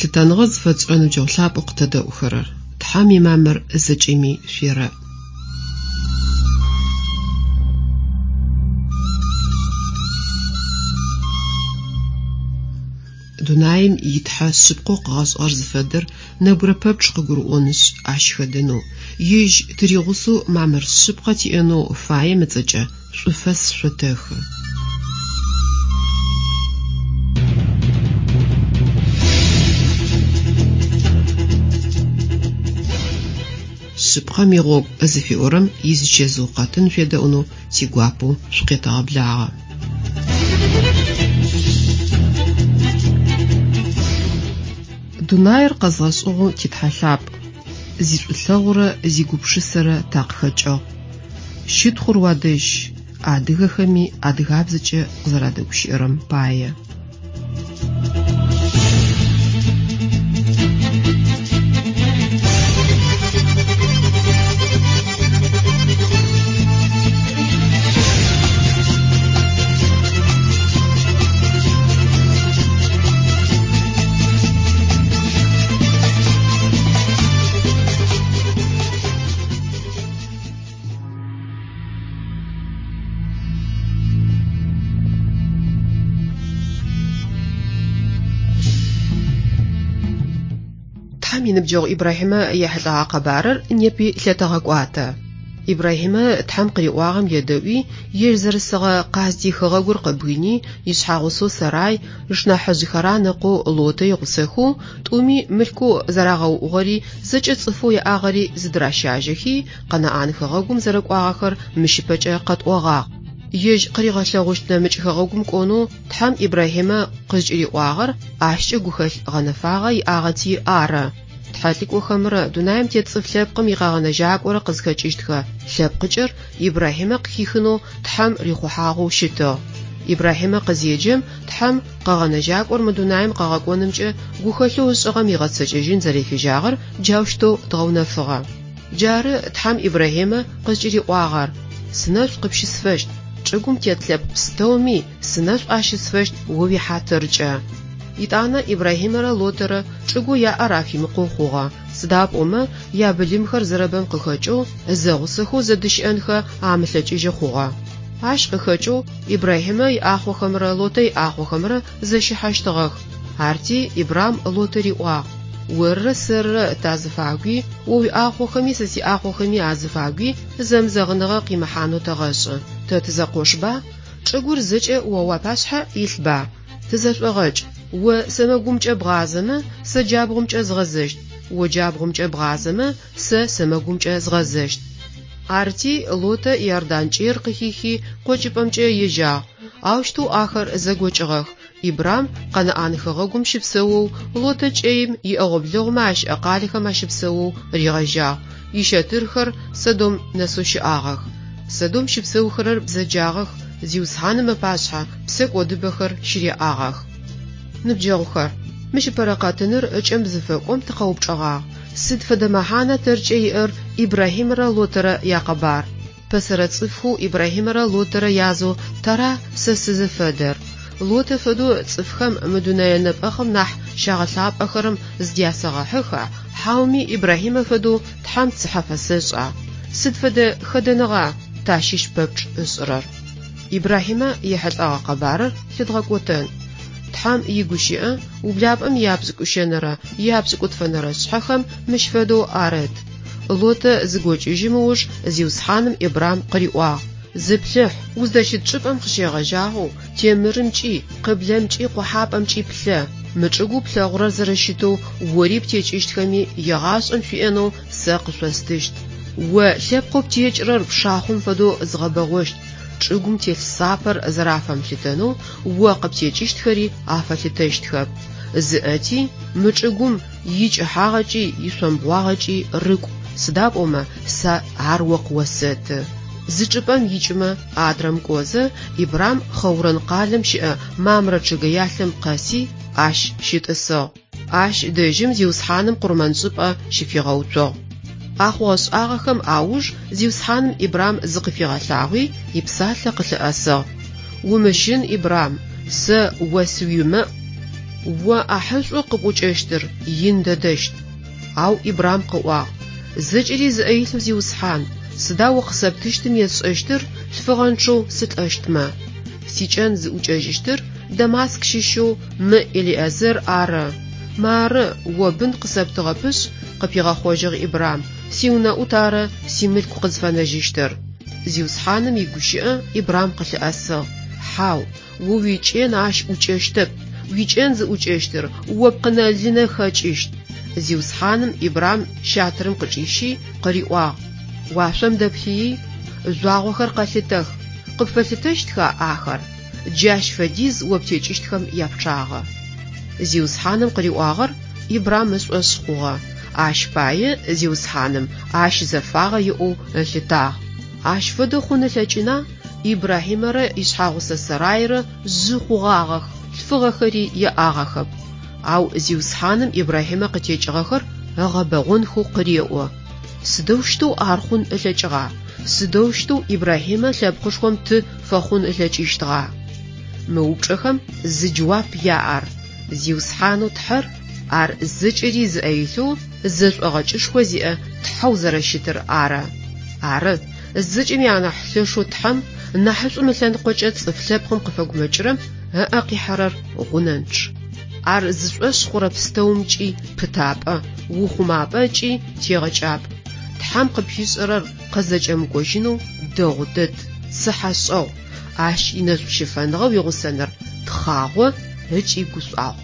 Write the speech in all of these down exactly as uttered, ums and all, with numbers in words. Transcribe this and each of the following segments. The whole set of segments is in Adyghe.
Лъытэныгъэ зыфэтшӏырэ ныбджэгъу лъапӏэу къытэдэӏухэрэр, Тхьэм имамыр зэкӏэми шъуерэӏ. Дунаим итхьэ шъыпкъэу къыгъэшӏыгъэр зыфэдэр нэбгырэ пэпчъ къыгурыӏонышъ, ащ хэдэнэу, ежь тыригъусэу мамыр шъыпкъэ тиӏэнэу фаем ыцӏэкӏэ шӏуфэс шъотэхы. Шъыпкъэм игъогу зыфиӏорэм изычэзыу къэтын шъуедэӏунэу тигуапэу шъукъетэгъэблагъэ. Дунаир къэзгъэшӏыгъэу титхьэ лъапӏ, зишӏулъэгъурэ зигупшысэрэ такъыхэкӏыгъ. Щытхъур уадэжь, адыгэхэми адыгабзэкӏэ къызэрадэгущыӏэрэм пае. Тхьэм иныбджэгъу Ибрахьимэ ехьылӏэгъэ къэбарыр непи лъэтэгъэкӏуатэ. Ибрахьимэ Тхьэм къыриӏуагъэм едэӏуи, ежь зэрысыгъэ Къасдий хэгъэгур къыбгыни, ишъхьэгъусэу Сэрай, ышнахьыжъ Харан ыкъоу Лотэ игъусэхэу, тӏуми мылъкоу зэрагъэуӏугъэри, зэкӏэ цӏыфэу яӏагъэри зыдыращажьэхи, Къэнаӏан хэгъэгум зэрэкӏуагъэхэр мыщ ыпэкӏэ къэтӏогъагъ. Ежь къыригъэлъэгъущт нэмыкӏ хэгъэгум кӏонэу Тхьэм Ибрахьимэ къызкӏыриӏуагъэр ащкӏэ гухэлъ гъэнэфагъэ иӏагъэти ары. Тхьэлӏыкӏохэмрэ дунаим тет цӏыф лъэпкъым икъэгъэнэжьакӏорэ къызхэкӏыщтхэ лъэпкъыкӏэр Ибрахьимэ къыхихынэу Тхьэм рихъухьагъэу щытыгъ. Ибрахьимэ къызеджэм Тхьэм къэгъэнэжьакӏор мы дунаим къэгъэкӏонымкӏэ гухэлъэу ышӏыгъэм игъэцэкӏэжьын зэрефежьагъэр джаущтэу дгъэунэфыгъэ. Джары Тхьэм Ибрахьимэ къызкӏыриӏуагъэр: Сынэшӏу къыпщысфэщт, чӏыгум тет лъэпкъ пстэуми сынэшӏу ащысфэщт о уихьатыркӏэ. Итӏанэ Ибрахьимэрэ Лотэрэ чӏыгоу яӏэр афимыкъоу хъугъэ, сыда пӏомэ ябылымхэр зэрэбэм къыхэкӏэу зэгъусэхэу зэдыщыӏэнхэ амылъэкӏыжьы хъугъэ. Ащ къыхэкӏэу Ибрахьимэ иӏахъохэмрэ Лотэ иӏахъохэмрэ зэщыхьэщтыгъэх. Арти Ибрам Лотэ риӏуагъ: Орырэ сэрырэ тазыфагуи, о уиӏахъохэми сэ сиӏахъохэми азыфагуи зэмызэгъыныгъэ къимыхьанэу тэгъэшӏы. Тэ тызэкъошба? Чӏыгур зэкӏэ о уапашъхьэ илъба? Тызэшӏогъэкӏ. О сэмэгумкӏэ бгъазэмэ, сэ джабгъумкӏэ згъэзэщт, о джабгъумкӏэ бгъазэмэ, сэ сэмэгумкӏэ згъэзэщт. Арти Лотэ Иордан кӏэир къыхихи, къокӏыпӏэмкӏэ ежьагъ. Аущтэу ахэр зэгокӏыгъэх. Ибрам Къэнаӏан хэгъэгум щыпсэоу, Лотэ кӏэим иӏэгъо-блэгъумэ ащыӏэ къалэхэм ащыпсэоу ригъэжьагъ. Ищэтырхэр Содом нэсэу щыӏагъэх. Содом щыпсэухэрэр бзэджагъэх, Зиусхьаным ыпашъхьэ псэкӏодыбэхэр щыряӏагъэх. Ныбджэгъухэр, мыщ ыпэрэ къэтыныр ыкӏэм зыфэкӏом тыкъэупчӏэгъагъ: сыд фэдэ мэхьанэ тэркӏэ иӏэр Ибрахьимэрэ Лотэрэ якъэбар? Пэсэрэ цӏыфхэу Ибрахьимэрэ Лотэрэ язэу тара сэ сызыфэдэр? Лотэ фэдэу цӏыфхэм мы дунэе нэпӏэхъым нахь щагъэлъапӏэхэрэм зыдясэгъэхьыха, хьауми Ибрахьимэ фэдэу Тхьэм цыхьэ фэсэшӏа? Сыд фэдэ хэдэныгъа тащыщ пэпчъ ышӏырэр? Ибрахьимэ ехьылӏэгъэ къэбарыр лъыдгъэкӏотэн. Тхьэм игущыӏэ ублапӏэм япшӏыкӏущэнэрэ япшӏыкӏутфэнэрэ шъхьэхэм мыщ фэдэу арыт. Лотэ зыгокӏыжьым ыуж Зиусхьаным Ибрам къыриӏуагъ: Зыплъыхь, уздэщыт чӏыпӏэм къыщегъэжьагъэу темырымкӏи, къыблэмкӏи, къохьапӏэмкӏи плъэ. Мы чӏыгоу плъэгъурэр зэрэщытэу ори птекӏыщтхэми егъашӏэм шъуиӏэнэу сэ къышъостыщт. О лъэпкъэу птекӏырэр пшахъом фэдэу згъэбэгъощт. Чӏыгум телъ сапэр зэрафэмылъытэнэу о къыптекӏыщтхэри афэлъытэщтхэп. Зыӏэти мы чӏыгум икӏыхьагъэкӏи ишъомбгъуагъэкӏи рыкӏу, сыда пӏомэ сэ ар о къыосэты. Зы чӏыпӏэм икӏымэ адрэм кӏозэ, Ибрам Хъэурэн къалэм щыӏэ Мамрэ чъыгэялъэм къэси ащ щытӏысыгъ. Ащ дэжьым Зиусхьаным къурмэншӏыпӏэ щыфигъэуцугъ. А хъугъэ-шӏагъэхэм ауж Зиусхьаным Ибрам зыкъыфигъэлъагъуи, ипсалъэ къылъыӏэсыгъ: Умыщын, Ибрам, сэ о сыуимэӏу, О ӏахьышӏоу къыпӏукӏэщтыр ин дэдэщт. Ау Ибрам къыӏуагъ: Зэкӏэри зыӏэ илъэу Зиусхьан, сыда О къысэптыщтым есшӏэщтыр лъфыгъэнчъэу сылӏэщтмэ? Сикӏэн зыӏукӏэжьыщтыр Дамаск щыщэу мы Элиезер ары. Мары, О бын къысэптыгъэпышъ, къыпигъэхъожьыгъ Ибрам, сиунэӏут ары симылъку къызфэнэжьыщтыр. Зиусхьаным игущыӏэ Ибрам къылъыӏэсыгъ: Хьау, о уикӏэн ащ ӏукӏэщтэп, уикӏэн зыӏукӏэщтыр о пкъынэ-лынэ хэкӏыщт. Зиусхьаным Ибрам щатырым къычӏищи къыриӏуагъ: Уашъом дэплъыи, жъуагъохэр къэлъытэх, къыпфэлъытэщтха ахэр? Джащ фэдиз о птекӏыщтхэм япчъагъэ. Зиусхьаным къыриӏуагъэр Ибрам ышӏошъ хъугъэ, ащ пае Зиусхьаным ащ зэфагъэ иӏэу ылъытагъ. Ащ фэдэ хъун ылъэкӏына? Ибрахьимэрэ ишъхьэгъусэ Сарайрэ жъы хъугъагъэх, лъфыгъэхэри яӏагъэхэп. Ау Зиусхьаным Ибрахьимэ къытекӏыгъэхэр ыгъэбэгъонхэу къыреӏо. Сыдэущтэу ар хъун ылъэкӏыгъа? Сыдэущтэу Ибрахьимэ лъэпкъышхом ты фэхъун ылъэкӏыщтыгъа? Мы упчӏэхэм зы джэуап яӏэр: Зиусхьанэу Тхьэр ар зэкӏэри зыӏэ илъэу зэшӏогъэкӏышхо зиӏэ Тхьэу зэрэщытыр ары. Ары, зэкӏэми анахь лъэшэу Тхьэм нахьышӏум ылъэныкъокӏэ цӏыф лъэпкъым къыфэгумэкӏырэм ыӏэ къихьэрэр гъунэнчъ. Ар зышӏошъ хъурэ пстэумкӏи пытапӏэ, ухъумапӏэ ыкӏи тегъэкӏапӏ. Тхьэм къыпфишӏэрэр къызэкӏэмыкӏожьынэу дэгъу дэд, цыхьэшӏэгъу, ащ инэшӏущыфэныгъэ уигъусэныр тхъагъо ыкӏи гушӏуагъу.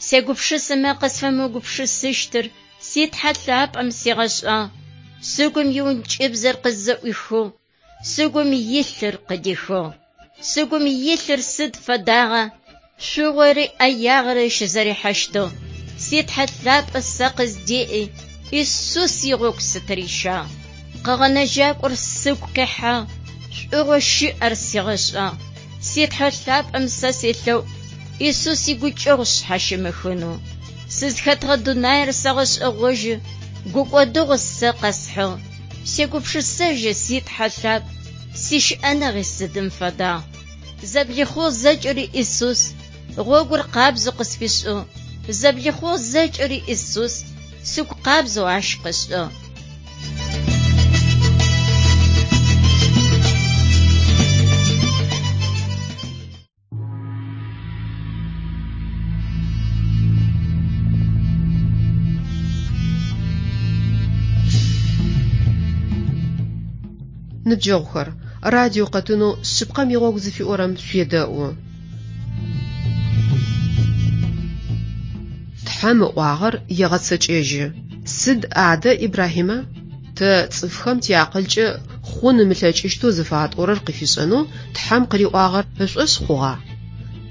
Сегупшысэмэ къысфэмыгупшысыщтыр си Тхьэ лъапӏэм сигъэшӏагъ. Сыгум иӏункӏыбзэр къызэӏуихыгъ, сыгум илъыр къыдихыгъ. Сыгум илъыр сыд фэдагъа? Шъугъори ӏэягъэри щызэрихьэщтыгъ. Си Тхьэ лъапӏэ сэ къыздеӏи, Исус игъогу сытырищагъ. Къэгъэнэжьакӏор сыгу къихьагъ, шӏугъэу щыӏэр сигъэшӏагъ. Си Тхьэ лъапӏэм сэ селъэӏу, Исус игукӏэгъу шъхьащимыхынэу. Сызхэтыгъэ дунаир сэгъэшӏэгъожьы, гукӏодыгъо сэ къэсхьыгъ. Сегупшысэжьы си Тхьэ лъапӏ, сищыӏэныгъи сыдым фэдагъ. Зэблихъугъ зэкӏэри Исус, гъогур къабзэу къысфишӏыгъ. Зэблихъугъ зэкӏэри Исус, сыгу къабзэу ащ къышӏыгъ. Ныбджэгъухэр, радио къэтынэу шъыпкъэм игъогу зыфиӏорэм шъуедэӏу. Тхьэм ыӏуагъэр егъэцэкӏэжьы. Сыд адэ, Ибрахьимэ? Тэ цӏыфхэм тиакъылкӏэ хъун ымылъэкӏыщтэу зыфатӏорэр къыфишӏэнэу Тхьэм къыриӏуагъэр ышӏошъ хъугъа?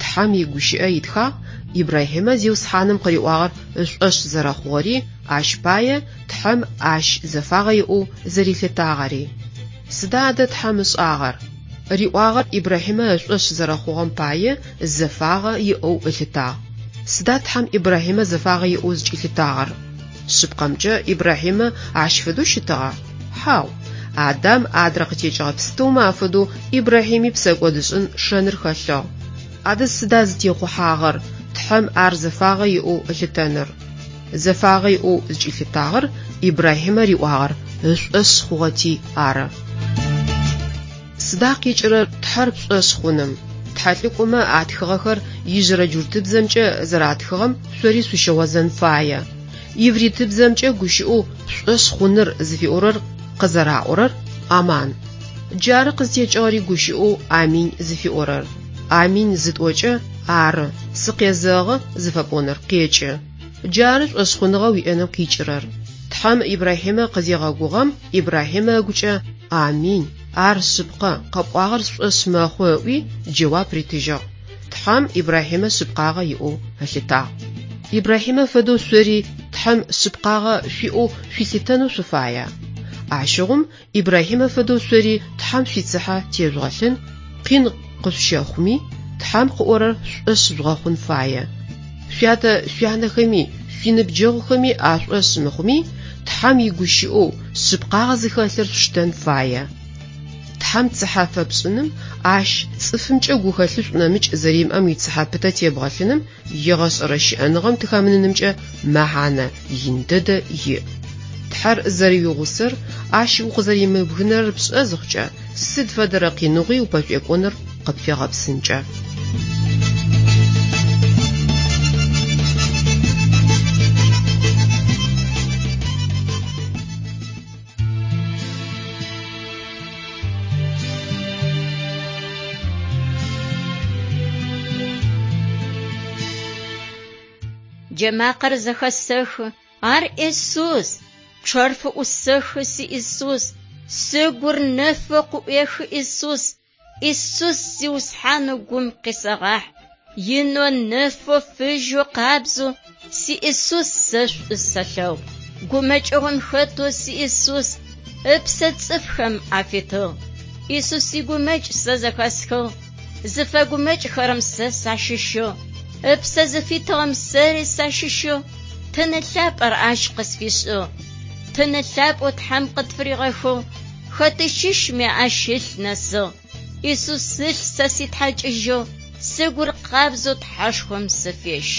Тхьэм игущыӏэ итхагъ Ибрахьимэ Зиусхьаным къыриӏуагъэр ышӏошъ зэрэхъугъэри, ащ пае Тхьэм ащ зэфагъэ иӏэу зэрилъытагъэри. Сыда адэ Тхьэм ышӏагъэр? Риӏуагъэр Ибрахьимэ ышӏошъ зэрэхъугъэм пае зэфагъэ иӏэу ылъытагъ. Сыда Тхьэм Ибрахьимэ зэфагъэ иӏэу зыкӏилъытагъэр? Шъыпкъэмкӏэ Ибрахьимэ ащ фэдэу щытыгъа? Хьау. Адам адрэ къытекӏыгъэ пстэумэ афэдэу Ибрахьими псэкӏодышӏын шэныр хэлъыгъ. Адэ сыда зытехъухьагъэр Тхьэм ар зэфагъэ иӏэу ылъытэныр? Зэфагъэ иӏэу зыкӏилъытагъэр Ибрахьимэ риӏуагъэр ышӏошъ хъугъэти ары. Сыда къикӏырэр Тхьэр пшӏошъ хъуным? Тхьэлӏыкӏомэ атхыгъэхэр ижъырэ джуртыбзэмкӏэ зэратхыгъэм шъори шъущыгъозэн фае. Ивритыбзэмкӏэ гущыӏэу пшӏошъ хъуныр зыфиӏорэр къызэраӏорэр аман. Джары къызтекӏыгъэри гущыӏэу аминь зыфиӏорэр. Аминь зытӏокӏэ ары, сыкъезэгъы зыфэпӏоныр къекӏы. Джары шӏошъхъуныгъэ уиӏэным къикӏырэр. Тхьэм Ибрахьимэ къызегъэгугъэм Ибрахьимэ ыгукӏэ аминь, ар шъыпкъэ, къэпӏуагъэр сшӏошъ мэхъу ыӏуи джэуап ритыжьыгъ. Тхьэм Ибрахьимэ шъыпкъагъэ иӏэу ылъытагъ. Ибрахьимэ фэдэу шъори Тхьэм шъыпкъагъэ шъуиӏэу шъуилъытэнэу шъуфая? Ащыгъум Ибрахьимэ фэдэу шъори Тхьэм шъуицыхьэ тежъугъэлъын, къин къышъущэхъуми, Тхьэм къыӏорэр шӏошъ жъугъэхъун фае. Шъуятэ шъуянэхэми, шъуиныбджэгъухэми ашӏошъ мыхъуми, Тхьэм игущыӏэу шъыпкъагъэ зыхэлъыр шъуштэн фае. Тхьэм цыхьэ фэпшӏыным, ащ цӏыфымкӏэ гухэлъышӏу нэмыкӏ зэримыӏэм уицыхьэ пытэ тебгъэлъыным егъэшӏэрэ щыӏэныгъэм тыхэмынынымкӏэ мэхьанэ ин дэдэ иӏ. Тхьэр зэрэуигъусэр, ащ укъызэримыбгынэрэр пшӏэ зыхъукӏэ, сыд фэдэрэ къиныгъуи упэшӏуекӏоныр къыпфегъэпсынкӏэ. Джэмакъэр зэхэсэхы, ар Исус, пчъэр фыӏусэхы си Исус, сыгур нэфэу къыӏуехы Исус, Исус Зиусхьанэу гум къисэгъахь, инэу нэфэу фыжьэу къабзэу си Исус сэ шӏу сэлъэгъу. Гумэкӏыгъом хэтэу си Исус ыпсэ цӏыфхэм афитыгъ. Исус игумэкӏ сэ зэхэсхыгъ, зыфэгумэкӏхэрэм сэ сащыщыгъ, ыпсэ зыфитыгъэм сэри сащыщыгъ, тыны лъапӏэр ащ къысфишӏыгъ. Тыны лъапӏэу Тхьэм къытфыригъэхыгъ, хэты щыщми ащ ылъ нэсыгъ. Исус ылъ сэ ситхьакӏыжьыгъ, сыгур къабзэу Тхьэшхом сыфещ.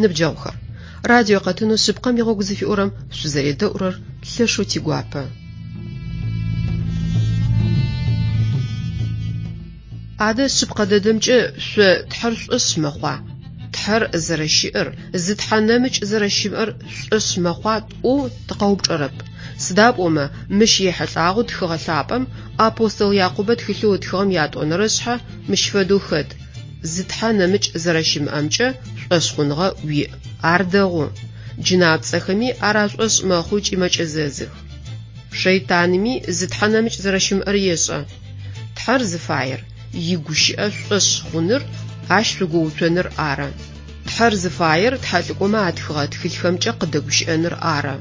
Ныбджэгъухэр, радио къэтынэу шъыпкъэм игъогу зыфиӏорэм шъузэредэӏурэр лъэшэу тигуапэ. Адэ шъыпкъэ дэдэмкӏэ шъо Тхьэр шӏошъ мэхъуа? Тхьэр зэрэщыӏэр, зы Тхьэ нэмыкӏ зэрэщымыӏэр шӏошъ мэхъуа тӏоу тыкъэупчӏэрэп. Сыда пӏомэ мыщ ехьылӏагъэу тхыгъэ лъапӏэм апостол Якъубэ тхылъэу ытхыгъэм ятӏонэрэ шъхьэ мыщ фэдэу хэт: зы Тхьэ нэмыкӏ зэрэщымыӏэмкӏэ шӏошъхъуныгъэ уиӏ. Ар дэгъу. Джынапцӏэхэми ар ашӏошъ мэхъу ыкӏи мэкӏэзэзых. Шэйтанми зы Тхьэ нэмыкӏ зэрэщымыӏэр ешӏэ. Тхьэр зыфаер игущыӏэ шӏошъ хъуныр, ащ шъугоуцоныр ары. Тхьэр зыфаер тхьэлӏыкӏомэ атхыгъэ тхылъхэмкӏэ къыдэгущыӏэныр ары.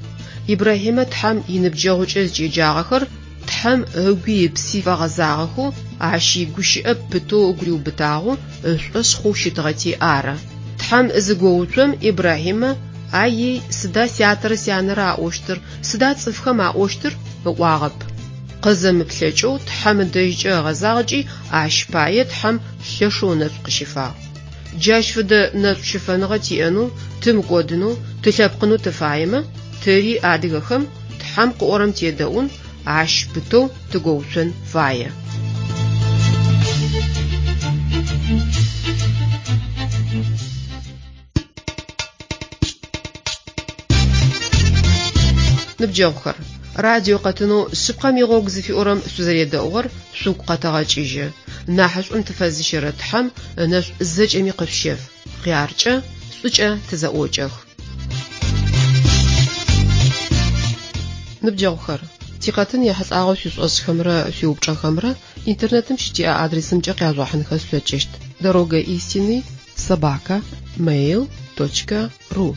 Ибрахьимэ Тхьэм иныбджэгъукӏэ зыкӏеджагъэхэр Тхьэм ыгуи ыпси фэгъэзагъэхэу, ащ игущыӏэ пытэу ыгу риубытагъэу ышӏошъ хъоу щытыгъэти ары. Тхьэм зыгоуцом Ибрахьимэ «Ай-ей, сыда сятэрэ сянэрэ аӏощтыр, сыда цӏыфхэм аӏощтыр?» ыӏуагъэп. Къызэмыплъэкӏэу Тхьэм ыдэжькӏэ ыгъэзагъ ыкӏи ащ пае Тхьэм лъэшэу ынэшӏу къыщифагъ. Джащ фэдэ нэшӏу щыфэныгъэ тиӏэнэу, тымыкӏодынэу, тылъэпкъынэу тыфаемэ, тэри адыгэхэм Тхьэм къыӏорэм тедэӏун, ащ пытэу тыгоуцон фае. Ныбджэгъухэр, радио къэтынэу шъыпкъэм игъогу зыфиӏорэм шъузэредэӏугъэр шъугу къэтэгъэкӏыжьы. Нахьышӏум тыфэзыщэрэ Тхьэм ынэшӏу зэкӏэми къышъущеф. Хъяркӏэ, шӏукӏэ тызэӏокӏэх. Ныбджэгъухэр, тикъэтын ехьылӏагъэу шъуишӏошъхэмрэ шъуиупчӏэхэмрэ интернетым щытиӏэ адресымкӏэ къяжъугъэхьынхэ шъулъэкӏыщт: дорога истины собака mail точка ру.